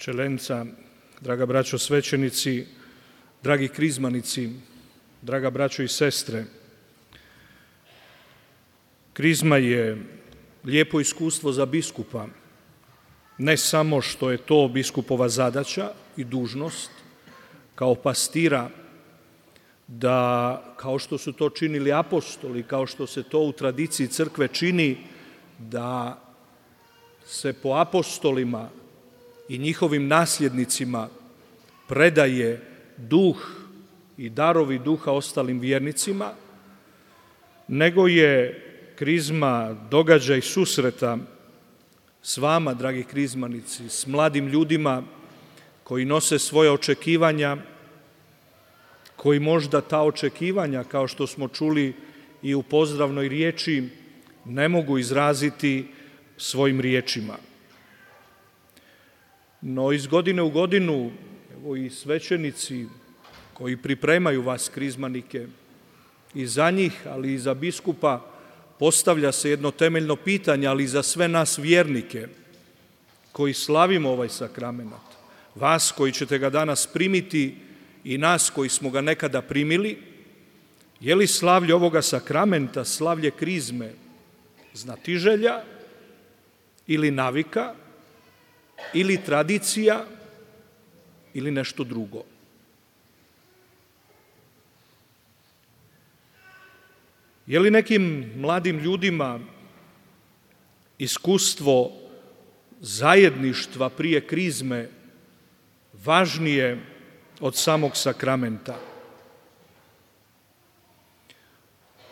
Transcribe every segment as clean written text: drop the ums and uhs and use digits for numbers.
Čelenca, draga braćo svećenici, dragi krizmanici, draga braćo i sestre. Krizma je lijepo iskustvo za biskupa, ne samo što je to biskupova zadaća i dužnost, kao pastira, da kao što su to činili apostoli, kao što se to u tradiciji crkve čini, da se po apostolima i njihovim nasljednicima predaje duh i darovi duha ostalim vjernicima, nego je krizma događaj susreta s vama, dragi krizmanici, s mladim ljudima koji nose svoje očekivanja, koji možda ta očekivanja, kao što smo čuli i u pozdravnoj riječi, ne mogu izraziti svojim riječima. No iz godine u godinu, evo i svećenici koji pripremaju vas krizmanike, i za njih, ali i za biskupa, postavlja se jedno temeljno pitanje, ali i za sve nas vjernike koji slavimo ovaj sakrament, vas koji ćete ga danas primiti i nas koji smo ga nekada primili, je li slavlje ovoga sakramenta, slavlje krizme, znatiželja ili navika, ili tradicija, ili nešto drugo? Je li nekim mladim ljudima iskustvo zajedništva prije krizme važnije od samog sakramenta?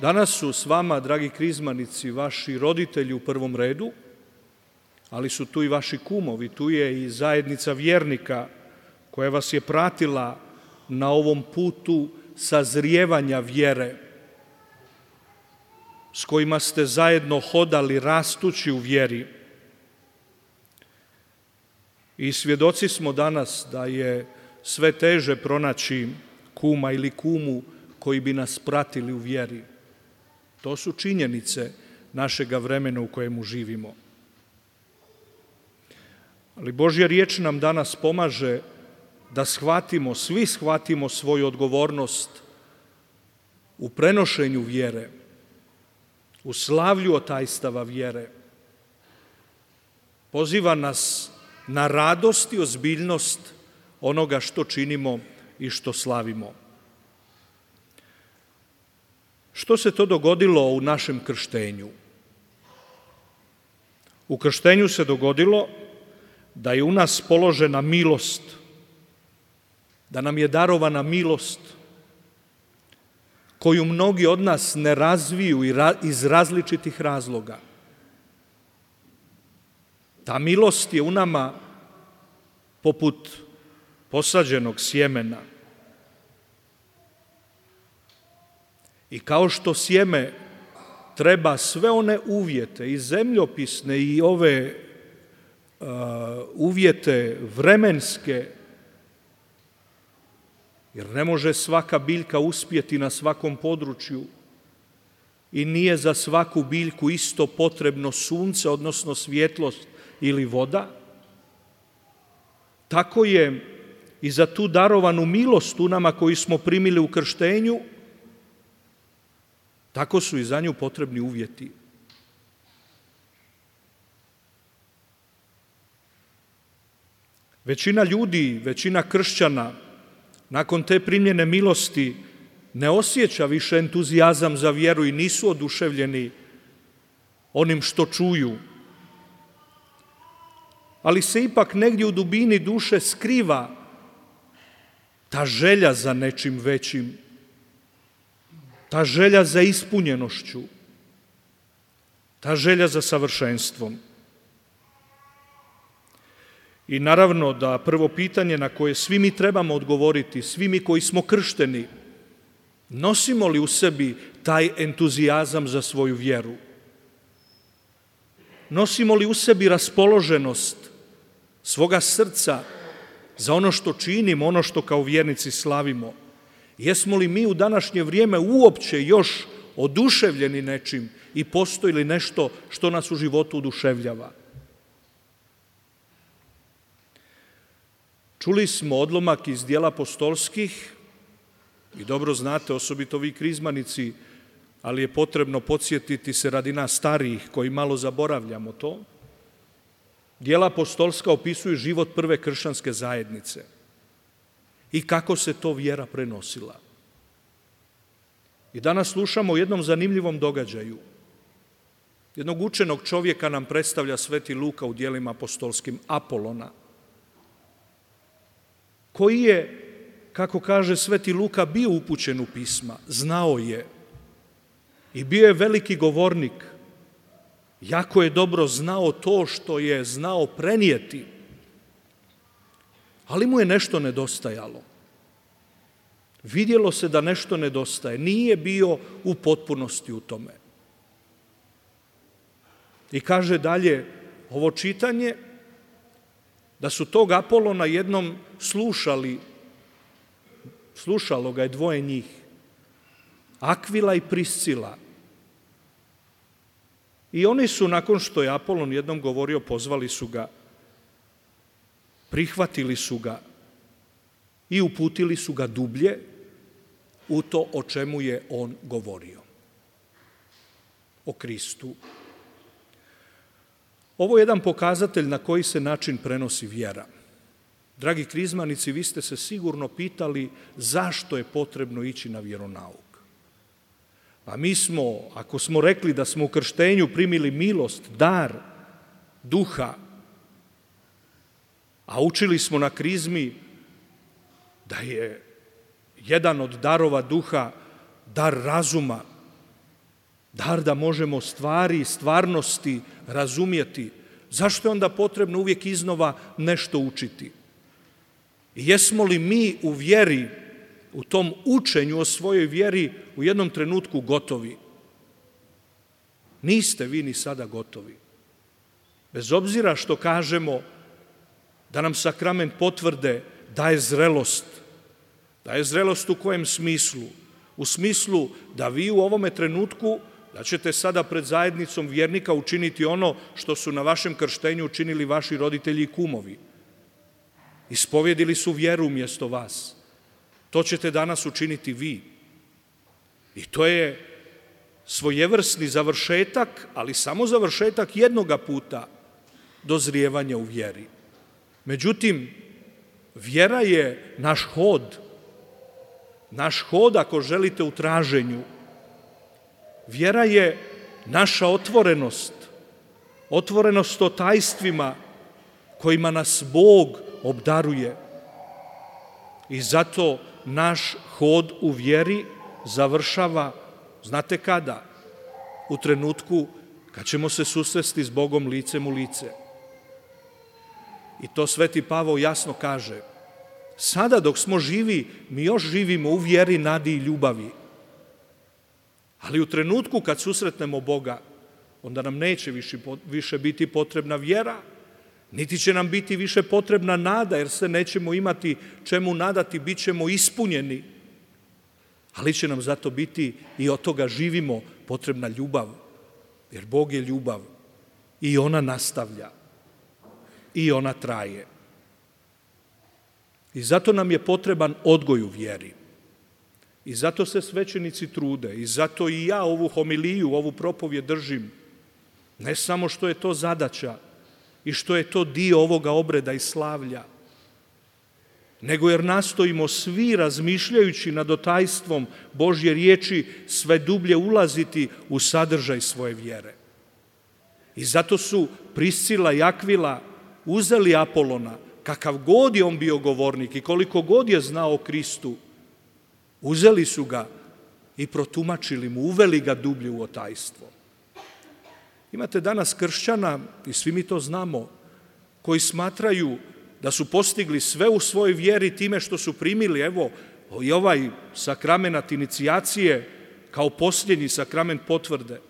Danas su s vama, dragi krizmanici, vaši roditelji u prvom redu, ali su tu i vaši kumovi, tu je i zajednica vjernika koja vas je pratila na ovom putu sazrijevanja vjere, s kojima ste zajedno hodali rastući u vjeri. I svjedoci smo danas da je sve teže pronaći kuma ili kumu koji bi nas pratili u vjeri. To su činjenice našega vremena u kojemu živimo. Ali Božja riječ nam danas pomaže da shvatimo, svi shvatimo svoju odgovornost u prenošenju vjere, u slavlju otajstava vjere. Poziva nas na radost i ozbiljnost onoga što činimo i što slavimo. Što se to dogodilo u našem krštenju? U krštenju se dogodilo da je u nas položena milost, da nam je darovana milost koju mnogi od nas ne razviju iz različitih razloga. Ta milost je u nama poput posađenog sjemena. I kao što sjeme treba sve one uvjete, i zemljopisne i ove uvjete vremenske, jer ne može svaka biljka uspjeti na svakom području i nije za svaku biljku isto potrebno sunce, odnosno svjetlost ili voda, tako je i za tu darovanu milost u nama koju smo primili u krštenju, tako su i za nju potrebni uvjeti. Većina ljudi, većina kršćana nakon te primljene milosti ne osjeća više entuzijazam za vjeru i nisu oduševljeni onim što čuju. Ali se ipak negdje u dubini duše skriva ta želja za nečim većim, ta želja za ispunjenošću, ta želja za savršenstvom. I naravno da prvo pitanje na koje svi mi trebamo odgovoriti, svi mi koji smo kršteni, nosimo li u sebi taj entuzijazam za svoju vjeru? Nosimo li u sebi raspoloženost svoga srca za ono što činimo, ono što kao vjernici slavimo? Jesmo li mi u današnje vrijeme uopće još oduševljeni nečim i postoji li nešto što nas u životu oduševljava? Čuli smo odlomak iz Djela apostolskih i dobro znate, osobito vi krizmanici, ali je potrebno podsjetiti se radi nas starijih koji malo zaboravljamo to. Djela apostolska opisuju život prve kršćanske zajednice i kako se to vjera prenosila. I danas slušamo o jednom zanimljivom događaju. Jednog učenog čovjeka nam predstavlja Sveti Luka u Djelima apostolskim, Apolona, koji je, kako kaže Sveti Luka, bio upućen u pisma, znao je i bio je veliki govornik. Jako je dobro znao to što je znao prenijeti, ali mu je nešto nedostajalo. Vidjelo se da nešto nedostaje, nije bio u potpunosti u tome. I kaže dalje ovo čitanje, da su tog Apolona jednom slušalo ga je dvoje njih, Akvila i Priscila. I oni su, nakon što je Apolon jednom govorio, pozvali su ga, prihvatili su ga i uputili su ga dublje u to o čemu je on govorio. O Kristu. Ovo je jedan pokazatelj na koji se način prenosi vjera. Dragi krizmanici, vi ste se sigurno pitali zašto je potrebno ići na vjeronauk. A mi smo, ako smo rekli da smo u krštenju primili milost, dar duha, a učili smo na krizmi da je jedan od darova duha dar razuma, dar da možemo stvari i stvarnosti razumjeti, zašto je onda potrebno uvijek iznova nešto učiti? I jesmo li mi u vjeri, u tom učenju o svojoj vjeri u jednom trenutku gotovi? Niste vi ni sada gotovi. Bez obzira što kažemo da nam sakrament potvrde daje zrelost. Daje zrelost u kojem smislu? U smislu da vi u ovome trenutku, da ćete sada pred zajednicom vjernika učiniti ono što su na vašem krštenju učinili vaši roditelji i kumovi. Ispovjedili su vjeru umjesto vas. To ćete danas učiniti vi. I to je svojevrsni završetak, ali samo završetak jednoga puta dozrijevanja u vjeri. Međutim, vjera je naš hod ako želite u traženju. Vjera je naša otvorenost o tajstvima kojima nas Bog obdaruje. I zato naš hod u vjeri završava, znate kada? U trenutku kad ćemo se susresti s Bogom licem u lice. I to Sveti Pavao jasno kaže. Sada dok smo živi, mi još živimo u vjeri, nadi i ljubavi. Ali u trenutku kad susretnemo Boga, onda nam neće više biti potrebna vjera, niti će nam biti više potrebna nada, jer se nećemo imati čemu nadati, bit ćemo ispunjeni. Ali će nam zato biti, i od toga živimo, potrebna ljubav, jer Bog je ljubav i ona nastavlja i ona traje. I zato nam je potreban odgoj u vjeri. I zato se svećenici trude, i zato i ja ovu homiliju, ovu propovjed držim, ne samo što je to zadaća i što je to dio ovoga obreda i slavlja, nego jer nastojimo svi, razmišljajući nad tajstvom Božje riječi, sve dublje ulaziti u sadržaj svoje vjere. I zato su Priscila i Akvila uzeli Apolona, kakav god je on bio govornik i koliko god je znao o Kristu, uzeli su ga i protumačili mu, uveli ga dublje u tajstvo. Imate danas kršćana, i svi mi to znamo, koji smatraju da su postigli sve u svojoj vjeri time što su primili, evo, i ovaj sakrament inicijacije kao posljednji sakrament potvrde.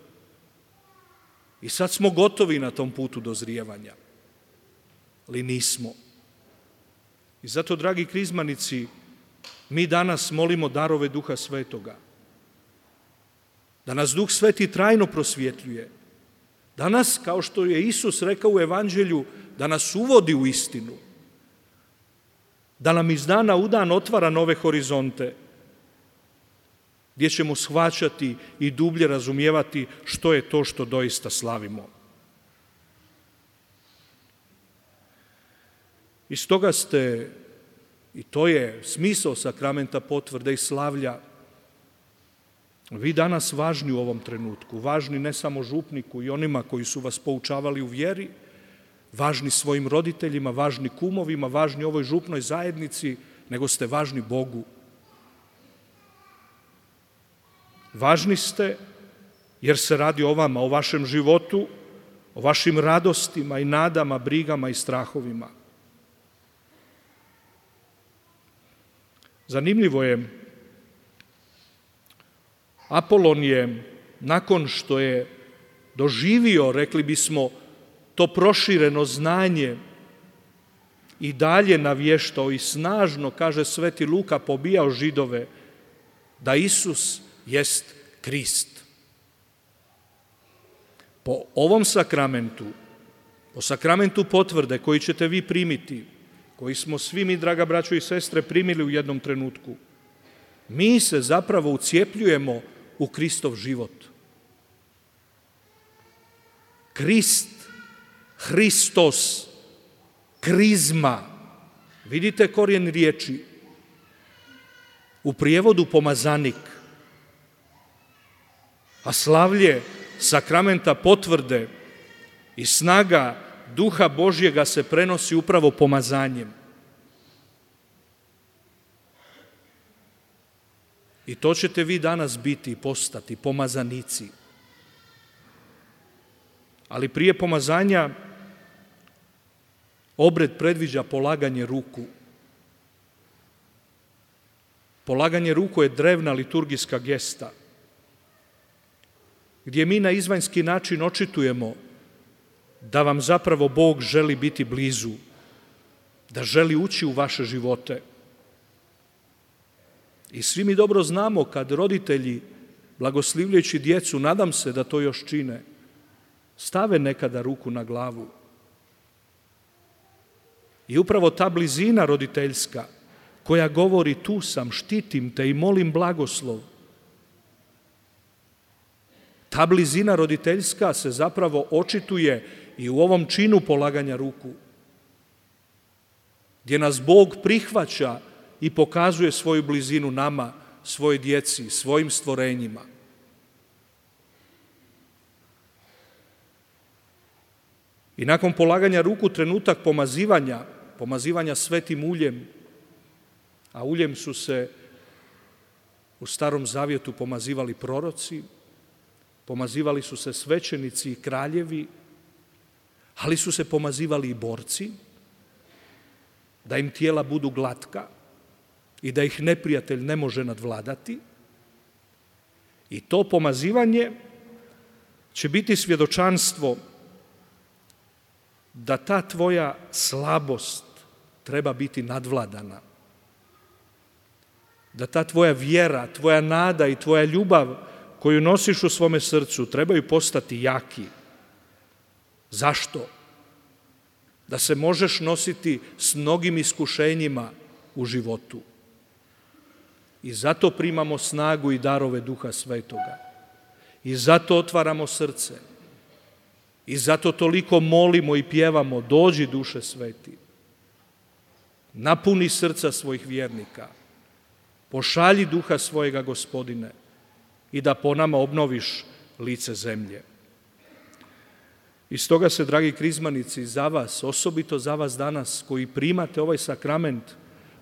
I sad smo gotovi na tom putu dozrijevanja. Ali nismo. I zato, dragi krizmanici, mi danas molimo darove Duha Svetoga. Da nas Duh Sveti trajno prosvjetljuje. Danas, kao što je Isus rekao u Evanđelju, da nas uvodi u istinu. da nam iz dana u dan otvara nove horizonte, gdje ćemo shvaćati i dublje razumijevati što je to što doista slavimo. I stoga ste, i to je smisao sakramenta potvrde i slavlja, vi danas važni u ovom trenutku, važni ne samo župniku i onima koji su vas poučavali u vjeri, važni svojim roditeljima, važni kumovima, važni ovoj župnoj zajednici, nego ste važni Bogu. Važni ste jer se radi o vama, o vašem životu, o vašim radostima i nadama, brigama i strahovima. Zanimljivo je, Apolon je, nakon što je doživio, rekli bismo, to prošireno znanje i dalje navještao i snažno, kaže Sveti Luka, pobijao Židove, da Isus jest Krist. Po ovom sakramentu, po sakramentu potvrde koji ćete vi primiti, koji smo svi mi, draga braćo i sestre, primili u jednom trenutku, mi se zapravo ucijepljujemo u Kristov život. Krist, Hristos, krizma, vidite korijen riječi, u prijevodu pomazanik, a slavlje sakramenta potvrde i snaga Duha Božjega se prenosi upravo pomazanjem. I to ćete vi danas biti i postati, pomazanici. Ali prije pomazanja obred predviđa polaganje ruku. Polaganje ruku je drevna liturgijska gesta, gdje mi na izvanjski način očitujemo da vam zapravo Bog želi biti blizu, da želi ući u vaše živote. I svi mi dobro znamo kad roditelji, blagoslivljajući djecu, nadam se da to još čine, stave nekada ruku na glavu. I upravo ta blizina roditeljska koja govori tu sam, štitim te i molim blagoslov, ta blizina roditeljska se zapravo očituje i u ovom činu polaganja ruku, gdje nas Bog prihvaća i pokazuje svoju blizinu nama, svojoj djeci, svojim stvorenjima. I nakon polaganja ruku trenutak pomazivanja svetim uljem, a uljem su se u Starom Zavjetu pomazivali proroci, pomazivali su se svećenici i kraljevi, ali su se pomazivali i borci, da im tijela budu glatka i da ih neprijatelj ne može nadvladati. I to pomazivanje će biti svjedočanstvo da ta tvoja slabost treba biti nadvladana, da ta tvoja vjera, tvoja nada i tvoja ljubav koju nosiš u svome srcu trebaju postati jaki. Zašto? Da se možeš nositi s mnogim iskušenjima u životu. I zato primamo snagu i darove Duha Svetoga. I zato otvaramo srce. I zato toliko molimo i pjevamo, dođi Duše Sveti. Napuni srca svojih vjernika. Pošalji Duha svojega, Gospodine, i da po nama obnoviš lice zemlje. I stoga se, dragi krizmanici, za vas, osobito za vas danas koji primate ovaj sakrament,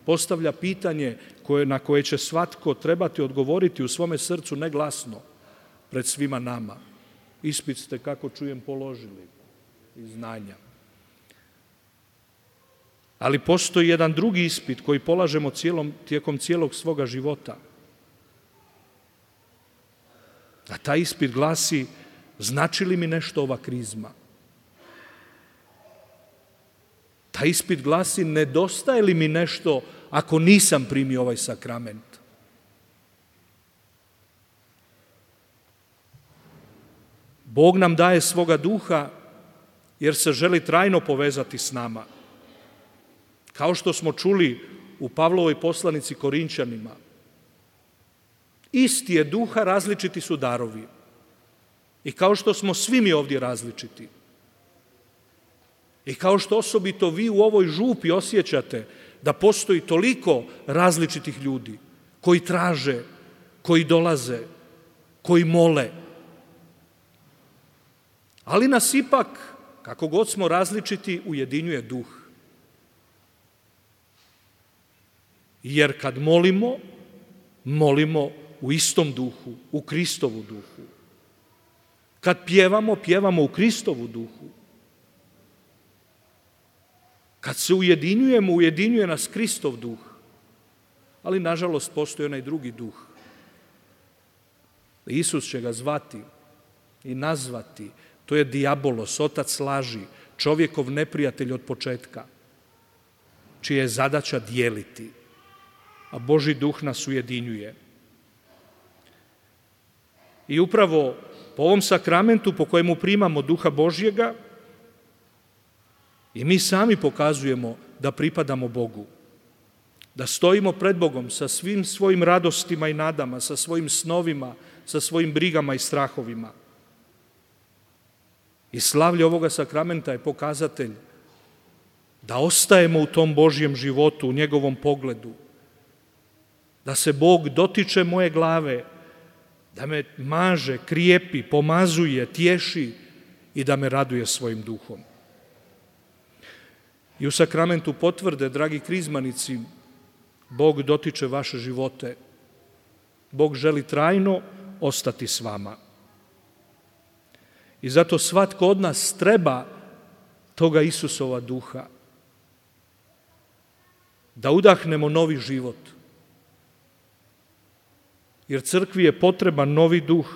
postavlja pitanje na koje će svatko trebati odgovoriti u svome srcu neglasno pred svima nama. Ispit ste, kako čujem, položili iz znanja. Ali postoji jedan drugi ispit koji polažemo tijekom cijelog svoga života. A taj ispit glasi, znači li mi nešto ova krizma? Taj ispit glasi, nedostaje li mi nešto ako nisam primio ovaj sakrament? Bog nam daje svoga duha jer se želi trajno povezati s nama. Kao što smo čuli u Pavlovoj poslanici Korinćanima. Isti je duha, različiti su darovi. I kao što smo svi mi ovdje različiti, i kao što osobito vi u ovoj župi osjećate da postoji toliko različitih ljudi koji traže, koji dolaze, koji mole. Ali nas ipak, kako god smo različiti, ujedinjuje duh. Jer kad molimo, molimo u istom duhu, u Kristovu duhu. Kad pjevamo, pjevamo u Kristovu duhu. Kad se ujedinjujemo, ujedinjuje nas Kristov duh. Ali, nažalost, postoji onaj drugi duh. Isus će ga zvati i nazvati. To je dijabolos, otac laži, čovjekov neprijatelj od početka, čija je zadaća dijeliti, a Božji duh nas ujedinjuje. I upravo po ovom sakramentu po kojemu primamo duha Božjega, i mi sami pokazujemo da pripadamo Bogu, da stojimo pred Bogom sa svim svojim radostima i nadama, sa svojim snovima, sa svojim brigama i strahovima. I slavlje ovoga sakramenta je pokazatelj da ostajemo u tom Božjem životu, u njegovom pogledu, da se Bog dotiče moje glave, da me maže, krijepi, pomazuje, tješi i da me raduje svojim duhom. I u sakramentu potvrde, dragi krizmanici, Bog dotiče vaše živote. Bog želi trajno ostati s vama. I zato svatko od nas treba toga Isusova duha. Da udahnemo novi život. Jer crkvi je potreban novi duh.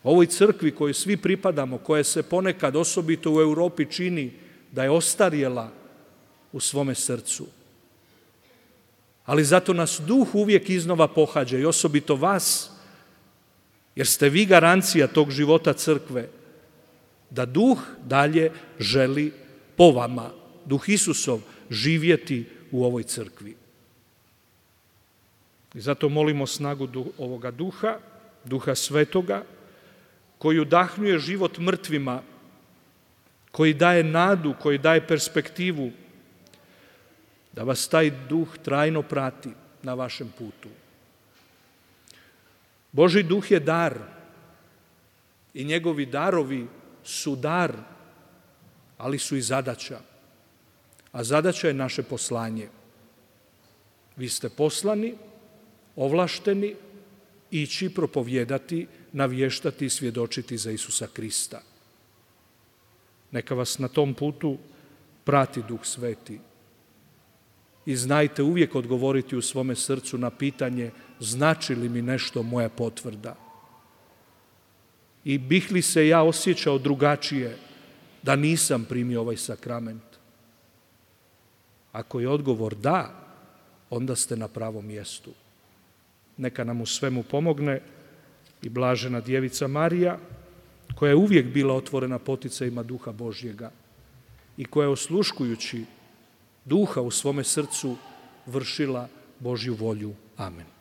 Ovoj crkvi kojoj svi pripadamo, koja se ponekad osobito u Europi čini da je ostarjela u svome srcu. Ali zato nas duh uvijek iznova pohađa i osobito vas, jer ste vi garancija tog života crkve, da duh dalje želi po vama, duh Isusov, živjeti u ovoj crkvi. I zato molimo snagu ovoga duha, duha svetoga, koji udahnjuje život mrtvima, koji daje nadu, koji daje perspektivu, da vas taj duh trajno prati na vašem putu. Božji duh je dar i njegovi darovi su dar, ali su i zadaća. A zadaća je naše poslanje. Vi ste poslani, ovlašteni, ići propovijedati, navještati i svjedočiti za Isusa Krista. Neka vas na tom putu prati Duh Sveti. I znajte uvijek odgovoriti u svome srcu na pitanje znači li mi nešto moja potvrda. I bih li se ja osjećao drugačije da nisam primio ovaj sakrament? Ako je odgovor da, onda ste na pravom mjestu. Neka nam u svemu pomogne i blažena Djevica Marija, koja je uvijek bila otvorena poticajima Duha Božjega i koja je osluškujući Duha u svome srcu vršila Božju volju. Amen.